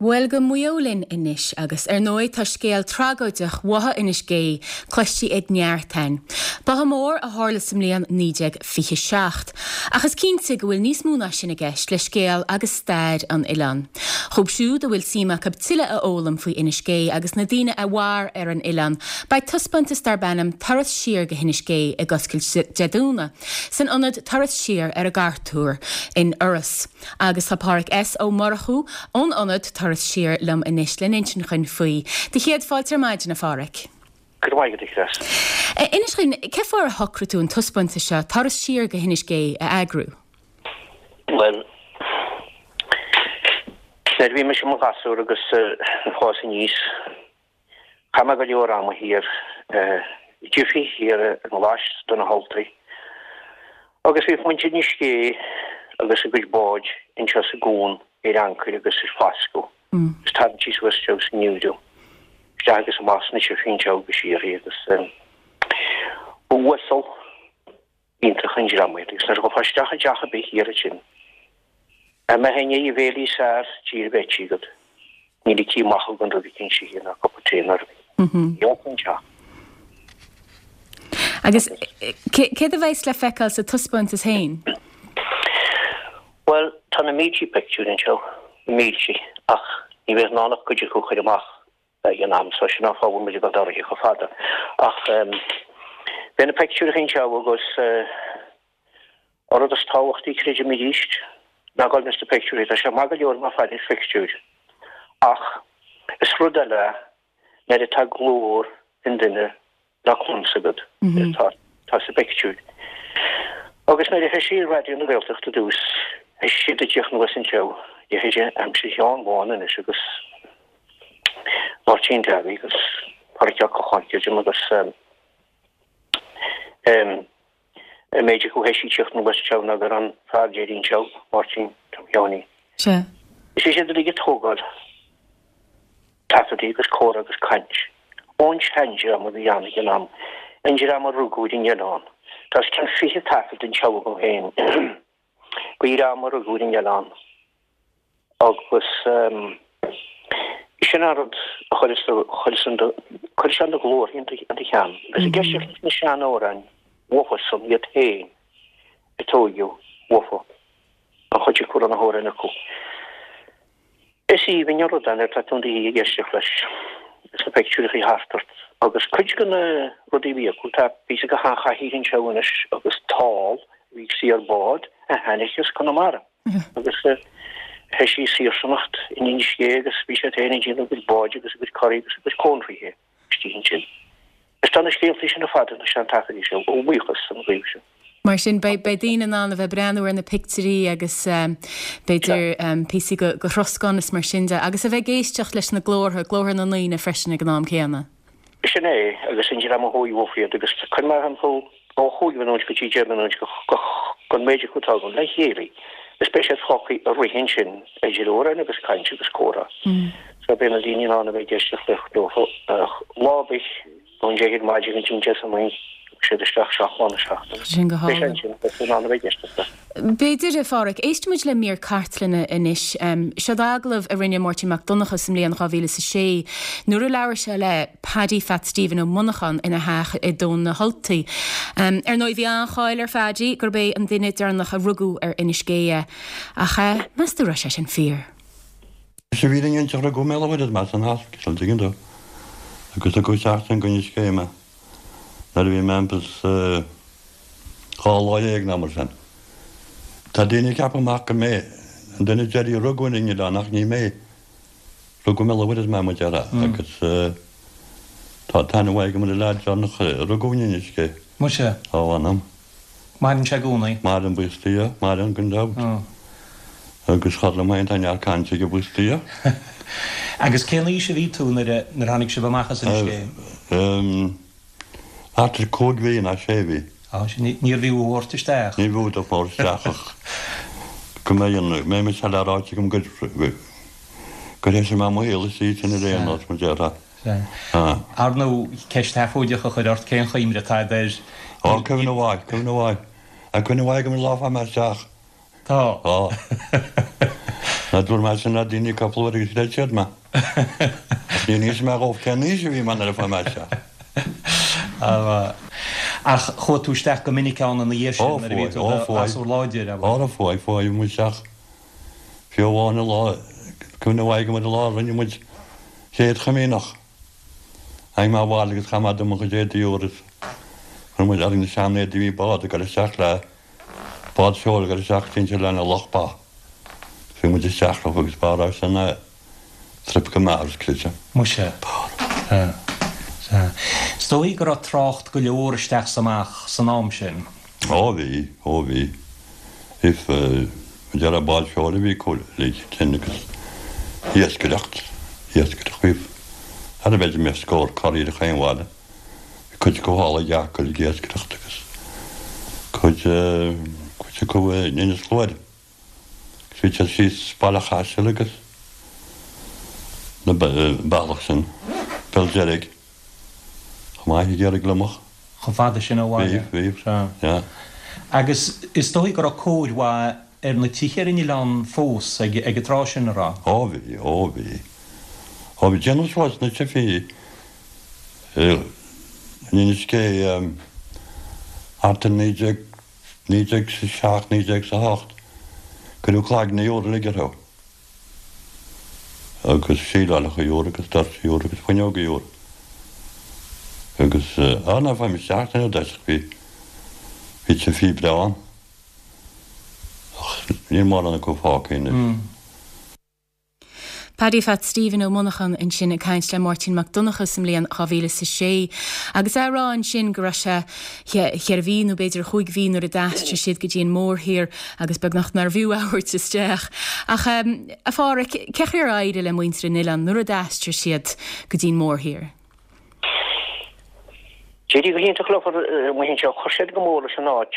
Bhuel, go Maigh Eo linn anois agus, ar ndóigh, tá scéal tragóideach Bhotha Inis Gé cloiste ag neart againn. Botha mór a tharla sa mbliain 1927. Ach is cinnte go bhfuil níos mó ná sin i gceist le scéal agus stair an oileáin. Dhóibh siúd a bhfuil suim acu tuilleadh a fhoghlaim faoi Inis Gé agus na daoine a mhair ar an oileán, beidh taispeántas darb ainm Turas Siar go hInis Gé ag oscailt Dé Domhnaigh san ionad Turas Siar ar an gCartúr in Iorras. Agus tá Pádhraic S. Ó Murchú ón ionad Turas Siar liom anois le n-insint dhuinn faoi. Do chéad fáilte ar maidin, a Phádhraic. Go raibh maith agat, a Chris. Inis dhuinn, cén fáth ar shocraigh tú an taispeántas seo, Turas Siar go hInis Gé, a eagrú? Bhuel, nuair a bhí mise i mo ghasúr agus ag fás aníos, Chaith mé go leor ama thiar i Jiffy, thiar i nGlais do na hUltaigh, agus bhí muintir Inis Gé agus a gcuid báid anseo sa gcuan ar ancaire agus ar fascadh agus tarraingtí suas anseo sa ngeimhreadh, isteach agus amach sna Jiffy anseo agus siar agus ba uasal iontach an dream iad agus nuair a ghabhfá isteach i dteach ar bith thiar ansin, dá mbeifeá i ndiaidh an bhéile is fearr sa tír a bheith ite agat, ní ligtí amach thú gan rud eicínt a ithe ná cupa tae ná rud eicínt. Gheobhadh an teach. Agus céard a bheas le feiceáil sa taispeántas féin? Bhuel, tá na míltí pictiúr anseo, na míltí, ach ní bheadh in ann ach cuid acu a chur amach. ag an am so sin an fáth a bhfuil muid ag dul ar aghaidh chomh fada. Ach beidh na peictiúireacha anseo agus an rud is tábhachtaí, creidim arís, ná dul ins na peictiúirí. Tá sé maith go leor bheith ag faire ar phictiúir ach is rud eile é nuair atá glór an duine le cluins agat atá sa bpictiúr. Agus nuair a thoisigh Raidió na Gaeltachta i dtús, thoisigh siad ag tíocht anuas anseo, leithéide aimsir Sheáin Bháin anois agus Máirtín Davy agus Pádraic Ó Cocháin, creidim, agus an méid acu a thoisigh ag tíocht anuas anseo ná go raibh an fear deiridh anseo, Máirtín Tom Sheáinín. Sea. Is é siad uilig ag tógáil. Taifeadtaí agus comhrá agus caint ón seandream a bhí ann ag an am, an dream a rugadh ar an oileán. Tá os cionn 20 taifead anseo agam féin de dhream a rugadh ar an oileán agus sin an rud a chuireas chuireas sé na glórtha in do cheann. Agus ag éisteacht leis na seanamhráin uathusan iad féin a tóigeadh uafa an chuid acu a raibh na hamhráin acu. Is aoibhinn an rud é nuair atá tú in do shuí ag éisteacht leis agus na peictiúireachaí thart ort. Agus cuid de na rudaí a bhí acu, tá píosa de sheanchathaoir anseo anois agus tál a bhí ag suí ar bhád a tháinig as Conamara agus thoisigh saorsanacht in Inis Gé agus bhí siad féin ag déanamh a gcuid báid agus a gcuid coraí agus a gcuid cónraithe. istigh ansin. Is tá na scéaltaí sin ar fad ins na seantaifeadaí seo, ó bhuíochas don ghaoth sin. Mar sin, beidh daoine in ann a bheith ag breathnú ar na pictiúirí agus b'fhéidir píosaí de throscán is mar sin de, agus a bheith ag éisteacht leis na glórtha, glórtha na ndaoine freisin ag an am céanna. Sin é, agus an dream a chuaigh uafa iad, agus cuir mé thimpeall ó chúig mhinúint go dtí 10 minúint den méid acu atá agam le chéile is beidh siad fágtha ag rith ansin idir amhráin agus caint agus comhrá. So beidh na daoine in ann a bheith ag éisteacht leo lá ar bith ón 10 ar maidin go dtí an 10 agus siad isteach 7 lá na seachtaine. Sin go Beidh sé ansin beidh siad in ann a bheith ag éisteacht leo. B'fhéidir, a Phádhraic, éistfidh muid le mír cartlainne anois. Seod agallamh a rinne Máirtín Mac Donncha sa mbliain 2006 nuair a labhair sé le Paddy Phat Stephen Ó Monacháin ina theach i dTóin na hUltaí. Ar ndóigh, bhí an-cháil ar Phaddy gurb é an duine deireanach a rugadh ar Inis Gé é. Ach meas tú raibh sé sin fíor? Is i bhfírinne an teach rugadh mé le huair is san hospital, tuigeann tú, agus tugadh isteach ansin go Inis Gé mé nuair a bhí mé thimpeall 12 lá nó mar sin. Tá daoine ag ceapadh amach gur mé an duine deiridh a rugadh ar an oileán ach ní mé. Rugadh mé le huair is mé mo dheartháir agus tá aithne mhaith agam ar an leaid deireanach a rugadh in Inis Gé. Muise. Tá a mh'anam. Maireann sé i gcónaí? Maireann, buíochas do Dhia. Maireann gan dabht. Agus chomh liom féin tá neart cainte aige buíochas do Dhia. Agus cén aois a bhí tú nuair a tháinig sibh amach as Inis Gé? Thart ar 5 mhí ná 6 mhí. Á, sin, níorbh fhiú a thabhairt isteach. Ní bhfiú do thabhairt isteach ach go mbeidh an, go mbeidh mise le ráite agam gur, gur thoisigh mé mo shaol istigh ansin ar aon nós, mar déarfá. Sea. Ar ndóigh, ceist sheafóideach a chur ort, cén chuimhne atá agat air? Á, cuimhne mhaith, cuimhne mhaith. Tá cuimhne mhaith agam ar an lá a fuair mé isteach. Tá. Tá. Ná dúirt mé sin le daoine cúpla uair agus chreid siad mé. Ach níor inis mé dhóibh cén aois a bhí mé nuair a fuair mé isteach. Ach chuaigh tú isteach go minic ann ina dhiaidh sin nuair a bhí tú i do ghasúr láidir, ab ea? Ó fuaidh, fuaidh, bhí muid isteach fiú amháin an lá, cuimhne mhaith agam ar an lá a rinne muid Chéad Chomaoineach. Tháinig mé abhaile agus chaith mé dom mo chuid éadaí úr is chuir muid orainn na sean-éadaí bhí bád ag dul isteach le bád seoil ag dul isteach go dtí an oileán Loch Ba. Bhí muid isteach leo agus ba raibh sin a trip go maith agus creidim. Muise. Sea. Sea. Is dóigh go raibh trácht go leor isteach 's amach san am sin. Ó bhí, ó bhí. If, déarfá bád seoil a bhí acu uilig sin agus iascaireacht, iascaireacht. Bhí, thar a bheith, bhí scór corraí ar chaon bhaile. Bhí cuid acu thall ag Acaill ag iascaireacht agus cuid, cuid acu in Inis Gluaire. Agus bhí siad síos Baile Chaisil agus na bealach sin, Béal Deirg, chomh maith ag iarraidh gliomach. Chomh fada sin ó bhaile. Bhí, bhí, Sea. yeah. Agus is dóigh go raibh cóir mhaith ar na tithe ar an oileán fós ag an tráth sin, an raibh? Ó bhí, ó bhí. Ó bhí, déanadh suas na tithe in Inis Gé thart ar 19, 1907, 1908, cuireadh cloigne úra uilig orthu agus síleálacha úra agus doirse úra agus fuinneoga úra agus á ná faighim isteach san dtoiseach bhí bhí tithe breá ann ach níl mórán acu fágtha anois. Paddy Phat Stephen Ó Monacháin ansin ag caint le Máirtín Mac Donncha sa mbliain 2006 agus é ag rá ansin go raibh sé cheithre mhí nó b'fhéidir chúig mhí nuair a d'aistrigh siad go dtí an mórthír agus beagnach nárbh fhiú a thabhairt isteach. Ach a Phádhraic, cé chaoi ar éirigh le muintir an oileáin nuair a d'aistrigh siad go dtí an mórthír? D'éirigh go hiontach leo amuigh anseo, chuir siad go mór leis an áit.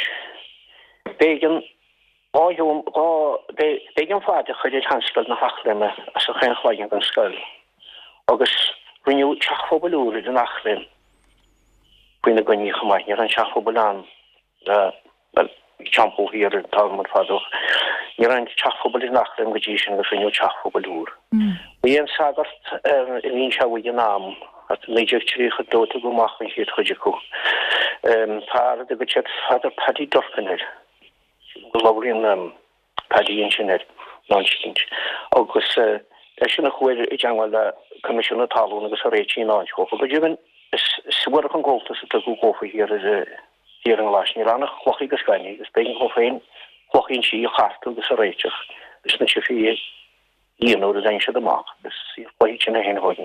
B'éigean B'éigean faid a chur ar Sheanscoil na hEachléime as an Chaon Chloigeann den scoil agus rinneadh teach phobail úr ar an Eachléim faoina gcoinne chomh maith. Ní raibh an teach phobail ann, bhuel, bhí teampall thiar ar an t-am ar fad ach ní raibh an teach phobail ar an Eachléim go dtí sin agus rinneadh teach phobail úr. Bhí an sagart a bhí anseo ag an am, 1932 a tugadh amach an chéad chuid acu, fear a dtugadh siad Father Paddy Durcan air. go labhraíonn Paddy ansin air ná an sciint agus eisean a chuaigh i dteangmháil le Coimisiún na Talún agus a réitigh an áit dhófa. Go deimhin, is suarach an gabháltas a tugadh dhófa thiar ar thiar i nGlais. Ní raibh ann ach clocha agus gaineamh agus b'éigean dhó féin clocha inti a chartadh agus a réiteach leis na tithe a dhéanamh nuair a tháinig siad amach agus chloígh sin a haon dhóigh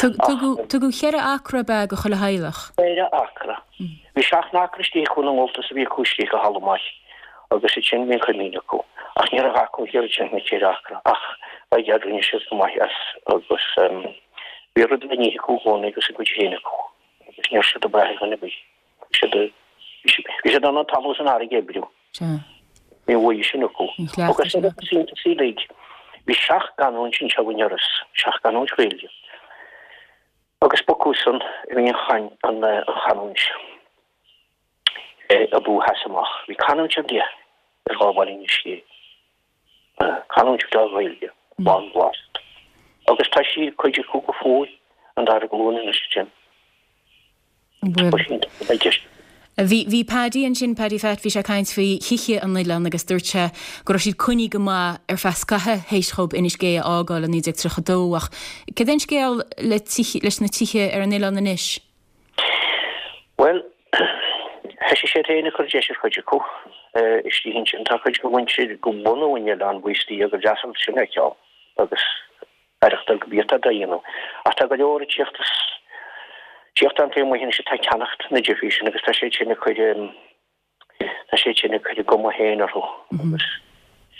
Tugadh ceithre acra ab ea do chuile theaghlach? Ceithre acra. Bhí seacht n-acra istigh acu ina ngabháltas a bhí acu istigh i thalamh maith agus ansin bhí an coimín acu. Ach ní raibh acu ach oiread sin na ceithre acra ach by gad rinne siad go maith as agus bhí rud le n-ithe acu i gcónaí agus a gcuid féin acu agus ní raibh siad ag brath ar dhuine ar bith. Bhí siad bhí siad in ann an talamh is an fharraige a oibriú. Bhí an bhuaidh sin acu. Agus ar an iontas uilig, bhí seacht gcanúint anseo in Iorras, seacht gcanúint Ghaeilge. Agus b'acusan a bhí an chanúint ab fhiú sheas amach. Bhí canúint ar leith ar ghabháil Inis Gé. Canúint bhreá Ghaeilge, lán blasta. Agus tá sí, cuid acu go fóill, an dara glúin anois ansin. Bhí, bhí Paddy ansin, Paddy Phat, bhí sé ag caint faoi thithe an oileáin agus dúirt sé go raibh siad coinnithe go maith ar feadh scaithe théis dhób Inis Gé a fhágáil i 1932 ach céard é an scéal le tithe, leis na tithe ar an oileán anois? Bhuel, thoisigh siad féin ag cur deis ar chuid acu istigh ansin. Tá cuid de mhuintir de bhunadh an oileáin buíochas le Dia gur deas an sin a fheiceáil agus aireachtáil go bíodh dá dhéanamh. Ach tá go leor ag tíocht as, tíocht ann taobh amuigh anois atá ag ceannacht na dtithe sin agus tá siad sin ag cur, tá siad sin ag cur a gcuma féin orthu. Agus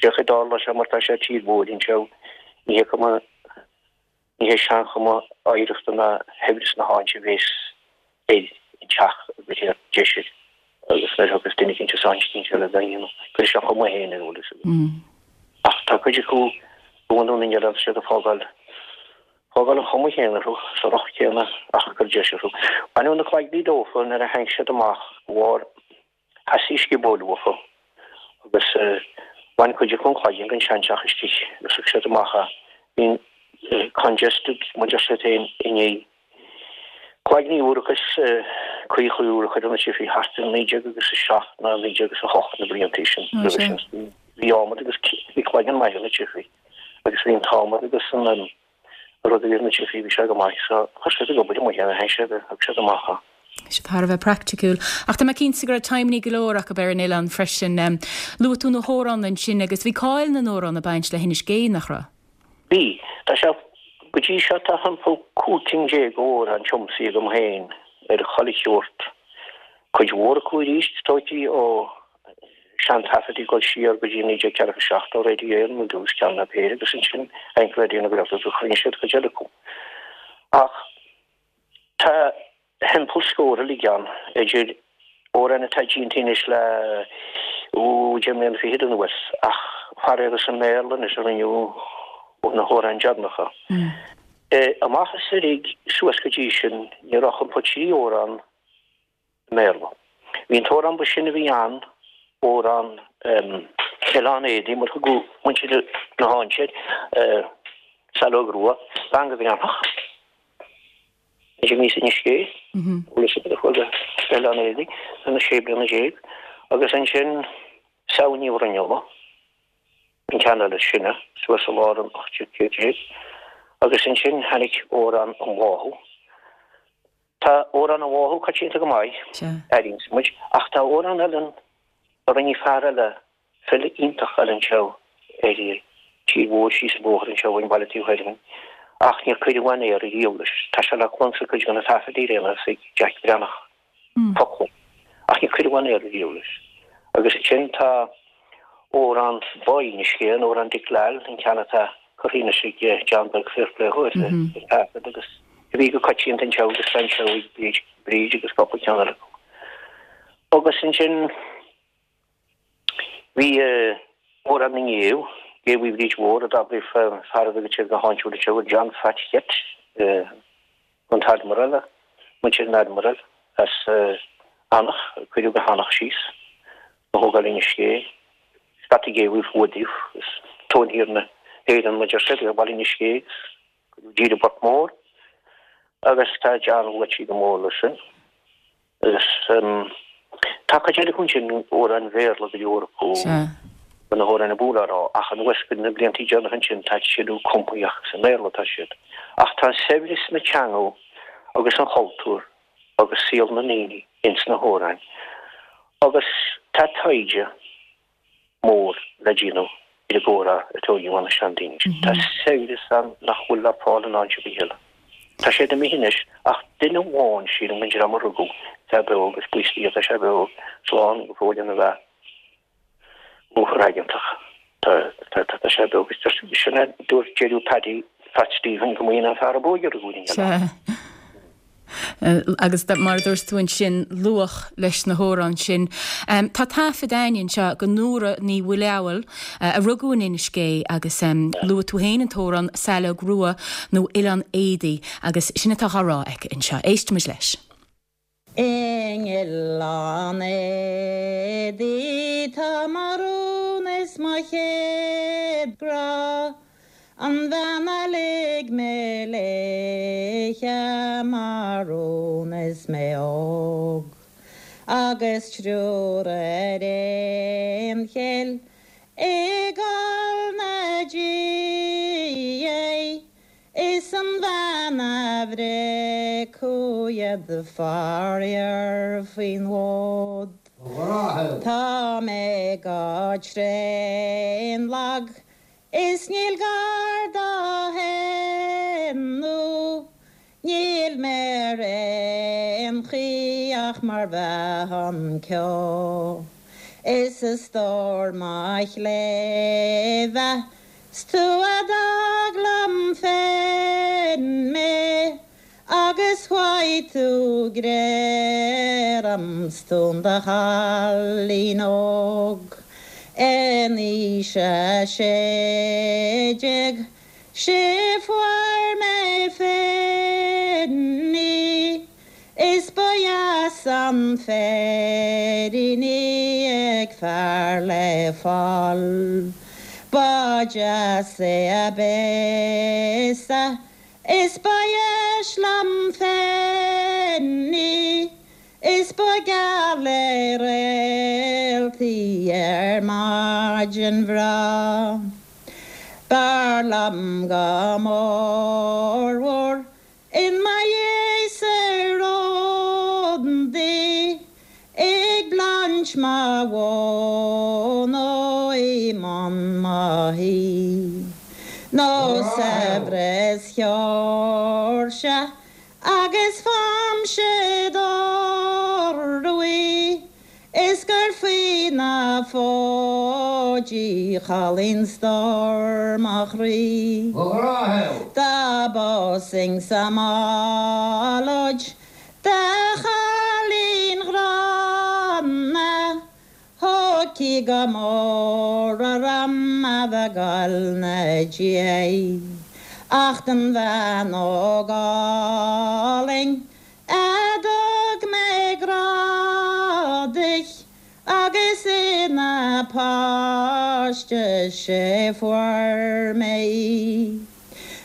féach ag dul leis mar tá sé tír mhór anseo, ní hé cuma, ní hé seanchuma oidhreachta ná shaibhreas na háite a bhéas ar an teach a gcuirfear deis air agus nuair a thiocfas duine eicínt as áit eicínt eile dá dhéanamh, cuirfidh sé a chuma féin air, an bhfuil fhios agat. Ach tá cuid acu de bhunadh na n-oileán, tá siad ag fágáil, fágáil an chuma chéanna orthu, sa racht céanna ach ag cur deis orthu. Baineadh na cloigní dófa nuair a tháinig siad amach de bharr theastaigh sciobóil uafa agus. Bhain cuid acu an cloigeann den seanteach istigh agus thug siad amach é. Bhí an congested, mar deir siad féin, i ndiaidh cloigní úr agus caochaí úr a chur ar na tithe thart ar 19 agus a 7 nó 19 agus a 8 na blianta sin. Roimhe sin bhí adhmad agus bhí cloigeann maith ar na tithe agus bhí an t-adhmad agus an rud a bhí ar na tithe bhí sé go maith so chuir siad ag obair amuigh é, théann siad, thug siad amach é. Bhí siad thar a bheith praiticiúil. Ach tá mé cinnte go raibh timeannaí go leor acu ar an oileán freisin. Luaigh tú na hamhráin ansin agus bhí cáil na n-amhrán ag baint le hInis Gé, nach raibh? Bhí. Tá sé, go dtí seo tá thimpeall 15 cinn d'amhráin tiomsaithe agam féin ar chuile sheort. Cuid mhór acu arís tóigthe ó seantaifead ag dul siar go dtí 1947 ó Radio Éireann ar dtús, ceann nó péire, agus ansin tháinig Raidió na Gaeltachta agus chruinnigh siad cuid eile acu. Ach tá thimpeall scór uilig ann, idir amhráin atá déanta anois le 10 mbliana fichead anuas, ach faraor is i mBéarla anois a rinneadh na hamhráin deireanacha. Amach is uilig suas go dtí sin ní raibh ach thimpeall 3 amhrán i mBéarla. Bhí an t-amhrán ba sine a bhí ann, amhrán Oileán Éadaí, mar a thugadh muintir na háite air, Saileog Rua, bean go Bhreathnach, a bhí in Inis Gé, Elizabeth a chuaigh go hOileán Éadaí ina sé bliana déag, agus ansin Samhain Ní Bhruinnealla, an ceann eile is sine, suas i lár an 18ú céad déag, agus ansin tháinig amhrán an Bháthadh. Tá Amhrán an Bháthadh coitianta go maith, airíonns muid, ach tá amhrán eile a rinne fear eile, file iontach eile anseo ar tír mhór síos an bóthar anseo ón bhaile taobh thoir dhínn, ach níor cuireadh on air ariamh leis. Tá sé le cluin sa cuid de na taifeadaí ar aon nós ag Jack Breathnach, focla, ach níor cuireadh on air ariamh leis. Agus ansin tá Amhrán Báidh Inis Gé, an Amhrán Dick Lal, an ceann atá curtha anois ag John Beag fair play dhó ar taifead agus a bhí go coitianta anseo agus tá anseo ag Bríd, Bríd agus cúpla ceann eile acu. Agus ansin bhí Amhrán na nGéabh, Géabhaí Bhríd Mhór a d'abraigh fear a bhí go go háitiúil anseo, John Phat Cheit, an tAdmiral, muintir an Admiral as Eanach, a cuireadh go hEanach síos, a thógáil Inis Gé, scata géabhaí fuadaíodh is tóin thiar na hÉireann mar deir siad, ar bhaile Inis Gé agus cuireadh i dtír i bPort Mór agus tá John luaite go mór leis sin. Agus tá cuid eile acu ansin, amhráin Bhéarla go leor acu, de na hamhráin ab mhó le rá, ach anuas go na blianta deireanacha ansin tá siad cumtha ach is i mBéarla atá siad. Ach tá saibhreas na teanga agus an chultúir agus saol na ndaoine ins na hamhráin agus tá taighde mór le déanamh ar an gcomhrá a tóigeadh ó na seandaoine sin. Tá saibhreas ann nach bhfuil le fáil in áit ar bith eile. Tá siad imithe anois ach duine amháin, sílim, den dream a rugadh, atá beo agus buíochas le Dia tá sé beo, slán go fóill ina bheatha lúfar aigeantach. Tá sé beo agus sin é, dúirt deireadh Paddy Phat Stephen go mb'é an fear ab óige a rugadh in Oileán. Sea. Agus mar a dúirt tú ansin, luach leis na hamhráin sin. Tá taifead againn anseo de Nóra Ní Mhaoileabhail, a rugadh in Inis Gé agus luaigh tú féin an t-amhrán Saileog Rua nó Oileán Éadaí agus sin atá á rá aici anseo. Éistimid leis. In Oileán Éadaí tá mo rún is mo chéad grá. An bhean a lig mé léithe mo rún is mé óg, agus triúr ar aon chill i gcoill 'na diaidh, is an bhean a bhriocfadh iad faraor faoin bhfód. Tá mé go tréan lag Is níl gar do shéanadh, níl mé ar aon chaoi ach mar bheadh an ceo. Is a stór mo chléibhe, 's tú a d'fhág liom féin mé, Agus chuaigh tú gré orm 's tú in do chailín óg in aois a 16 'Sé fuair mé féin í is ba dheas an féirín í ag. bheadh fear le fáil. Ba deas é a béasa is ba dheis liom féin í is ba geal le réaltaí ar maidin bhreá. B'fhearr liom go mórmhór In mo dhiaidh sa rond ag baint mo mhóna i mbun mo thí nó saibhreas Sheoirsia agus faighimse dorú í Is gur faoi na fóidí cholainn stór mo chroí. Dá bpósfainn sa mballóid do chailín ghránna, Thiocfaí go mór orm a bheith ag goil 'na diaidh. Ach don bhean óg álainn A dtug mé grá di agus ina páiste 'sé fuair mé í.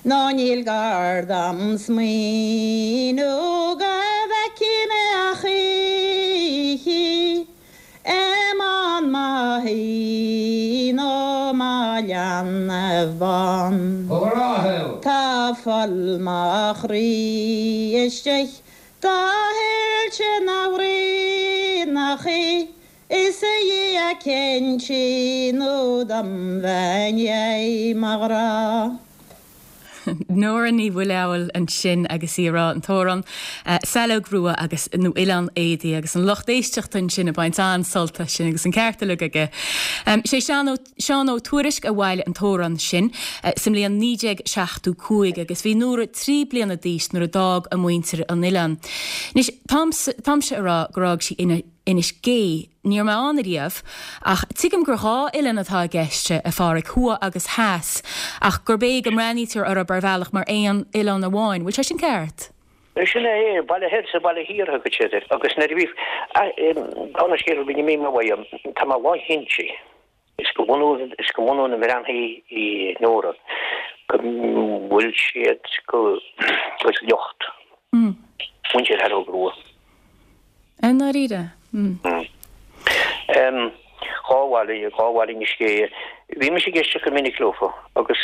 Nó níl gar dom smaoineamh go bhfeicfidh mé a choíche í i mbun mo thí nó mo leanbh bán. Tá fuil mo chroí istigh do thuilte na bhraonachaí is a Dhia cinntigh nó dom bheith i ndiaidh mo ghrá. Nóra Ní Mhaoileabhail ansin agus í ag rá an t-amhrán Saileog Rua agus nó Oileán Éadaí agus an lucht éisteachta ansin ag baint an-sult as sin agus an ceart uilig aige. Sé Seán Ó Seán Ó Tuairisg a bhailigh an t-amhrán sin sa mbliain 1975 agus bhí Nóra 3 bliana d'aois nuair a d'fhág a muintir an oileán. Anois táimse ag rá gur fhág sí Inis Gé. Ní raibh mé ann ariamh, ach tuigim gur dhá oileán atá i gceist, a Pháraic, thuaidh agus theas, ach gurb é go mbreathnaítear orthu ar bhealach mar aon oileán amháin. Bhfuil sé sin ceart? Sin é, Baile Thoir 's Baile Thiar a thugad siad air, agus nuair a bhí, dála an scéil, bhí mé uaidh, tá mé lánchinnte. Is go bunús is go mbunú na mbreathnaí í Nóra go bhfuil siad go go sliocht muintir Shaileog Rua. I ndáiríre? Dhá bhaile, dhá bhaile Inis Gé. Bhí mise ag éisteacht go minic leofa agus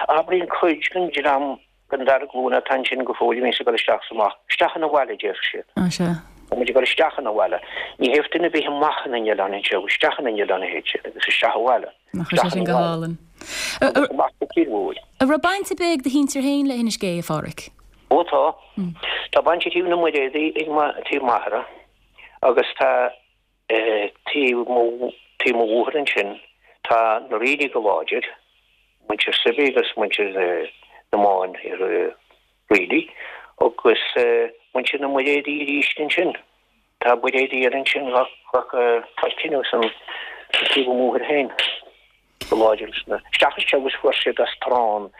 abraíonn cuid den dream Den dara glúin atá ansin go fóill a bhíonns ag dul isteach is amach. Isteach 'na bhaile, a déarfadh siad. Á, sea. Tá muid ag dul isteach 'na bhaile. Ní théadh duine ar bith amach 'na n-oileán anseo, isteach 'na n-oileán a théid siad agus isteach abhaile. Nach bhfuil sé sin go hálainn. Agus amach go tír mhór. An raibh baint ar bith ag do shinsir féin le hInis Gé, a Pháraic? Ó tá. Tá baint ag taobh na Muiréadaí ag taobh m'athara agus tá Taobh mo taobh mo mháthar ansin tá na Reilly go láidir, muintir Suibhí agus muintir na mBán Reilly agus muintir na Muiréadaí arís ansin. Tá Buiréadaí eile ansin gach tá cinneadh san taobh mo mháthar féin go láidir sna isteach is agus fuair siad as Trán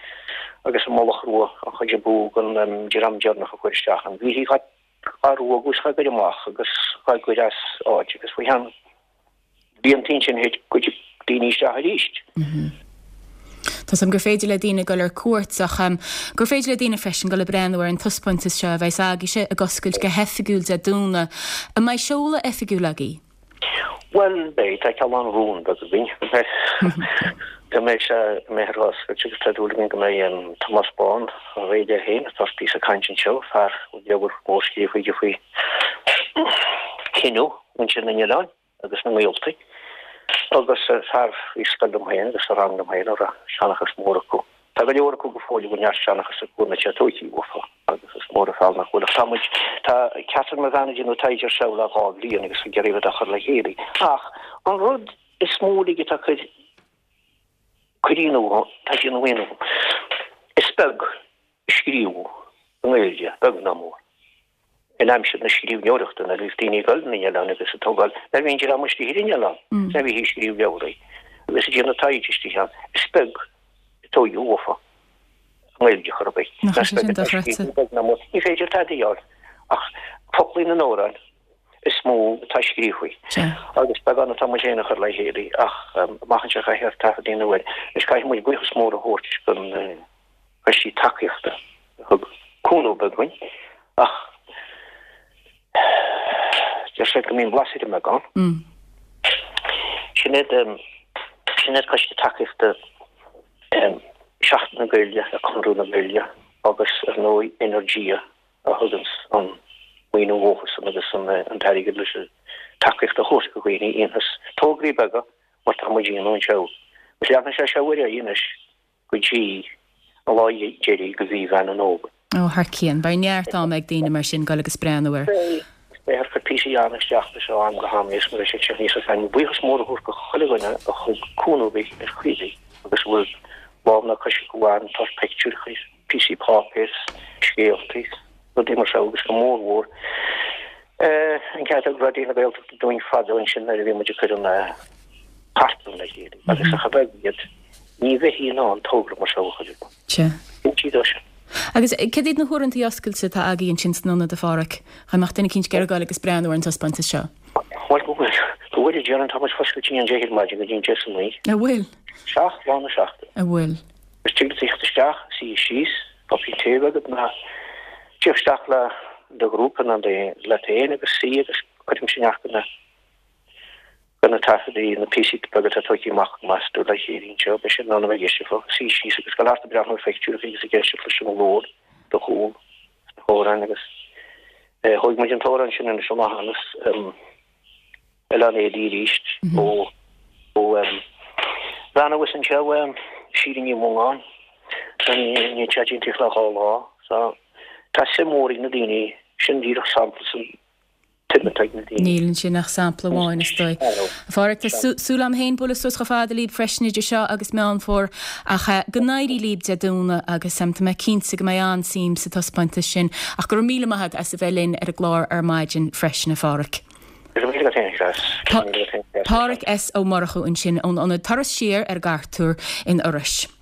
agus an Mullach Rua an chuid ab fhiú den dream deireanach a chuir isteach ann. Bhí dhá ruagadh is dhá gcur amach agus dhá gcur as áit agus faoi cheann blianta ansin thit cuid daoine isteach arís. Tá 's agam gur féidir le daoine dul ar cuairt ach gur féidir le daoine freisin dul ag breathnú ar an taispeántas seo a bheas agaibhse ag oscailt go hoifigiúil Dé Domhnaigh. An mbeidh seoladh oifigiúil agaibh? Bhuel, beidh. Tá cineál rún beag againn go mbeidh sé, go mbeidh ar oscailt agus tá dúil againn go mbeidh Tomás Bán á réidh air féin, atá píosa cainte anseo, fear a bhfuil leabhar mór scríofa aige faoi chinneadh mhuintir na n-oileán agus na ngaoltaí agus fear a bhí scoil liom féin agus sa rang liom féin a raibh seanchas mór acu. Tá go leor acu go fóill a bhfuil neart seanchas acu na téatóicí uafa agus is mór an feall nach bhfuil ach tá muid, tá Catherine mo bhean ag déanamh taighde ar seo le dhá bhliain agus ag iarraidh rud a chur le chéile. Ach an rud is mó uilig atá cur cur ionadh, tá ag déanamh ionadh, is beag a scríobhadh i nGaeilge, beag ná mór. in aimsir na scríbhneoireachta nuair a bhíodh daoine ag dul na n-oileán agus ag tógáil, nuair a bhí an dream istigh ar an oileán, nuair a bhíthí ag scríobh leabhraí agus ag déanamh taighde istigh ann, is beag a tóigeadh uafa i nGaeilge chor ar bith. Nach é sin dochreidte. Ní féidir tada a fháil ach foclaí na n-amhrán. is mó atá scríofa agus beagán atá muid féin a chur le chéile ach amach anseo caithfear taifead a dhéanamh air. Anois caithfidh muid buíochas mór a thabhairt don choistí tacaíochta a thug cúnamh beag dúinn ach deir siad go mbíonn blas ar an mbeagán. Sin iad sin iad coiste tacaíochta Seachtain na Gaeilge le Conradh na Gaeilge agus ar ndóigh Energia a thuganns an maoiniú dhófasan agus an t-airgead leis an tacaíocht a thabhairt do dhaoine a dhéanfas tograí beaga mar tá muid a dhéanamh anseo. Agus leanfaidh sé seo ar aghaidh anois go dtí an lá deiridh de mhí Mheán an Fhómhair. Ó, thar cionn. Beidh neart ama ag daoine mar sin dul agus breathnú air. Beidh. Beifear ag cur píosaí ann isteach leis ó am go ham níos mó leis an teach níos fearr. Buíochas mór a thabhairt do chuile dhuine a thug cúnamh ar bith ar chaoi ar bith agus a bhfuil lámh ná cois acu ann, tá pictiúireacha, píosaí páipéir, scéaltaí, rudaí mar seo agus go mór mhór an ceart a thug Raidió na Gaeltachta dúinn fadó ansin nuair a bhí muid ag cur an chartlann le chéile agus ach a bheag iad ní bheifí in ann togra mar seo a chur ar bun. Sea. Cinnte dó sin. Agus cad iad na huaireanta oscailte atá agaibh ansin san ionad, a Pháraic? Dá mbeadh duine eicínt ag iarraidh dul agus breathnú ar an taispeántas seo. Bhuel, go bhfuil. Go bhfuil, a déarfainn, tá muid foscailte ón deich ar maidin go dtí an deich san oíche. A bhfuil? 7 lá na seachtaine. A bhfuil? Is tig leat tíocht isteach, suí síos, cupán tae agat ná tíocht isteach le do ghrúpa ná leat féin agus suí agus cuirimse neart de na de na taifeadaí, na píosaí beaga atá tógtha amach meas tú le chéile anseo, beidh siad in ann a bheith ag éisteacht fúthu, suí síos agus dul thart ag breathnú ar phictiúireacha agus ag éisteacht leis an nglór do chúl sna hamhráin agus thóg muid an t-amhrán sin anois amach anas. Oileán Éadaí arís ó ó bhean abhus anseo Síle Ní Mhongáin ní tá déanta le dhá lá so tá suim mhór ag na daoine sin díreach sampla san tsuim atá ag na daoine. Níl ansin ach sampla amháin is dóigh. A Pháraic, tá súil agam féin bualadh suas chomh fada libh freisin idir seo agus Meán Fómhair ach go n-éirí libh Dé Domhnaigh agus tá mé cinnte go mbeidh an-suim sa taispeántas sin ach go raibh míle maith agat as a bheith linn ar an gclár ar maidin freisin a Pháraic. Páraic S. Ó Murchú ansin ón ionad Turas Siar ar an gCartúr in Iorrais.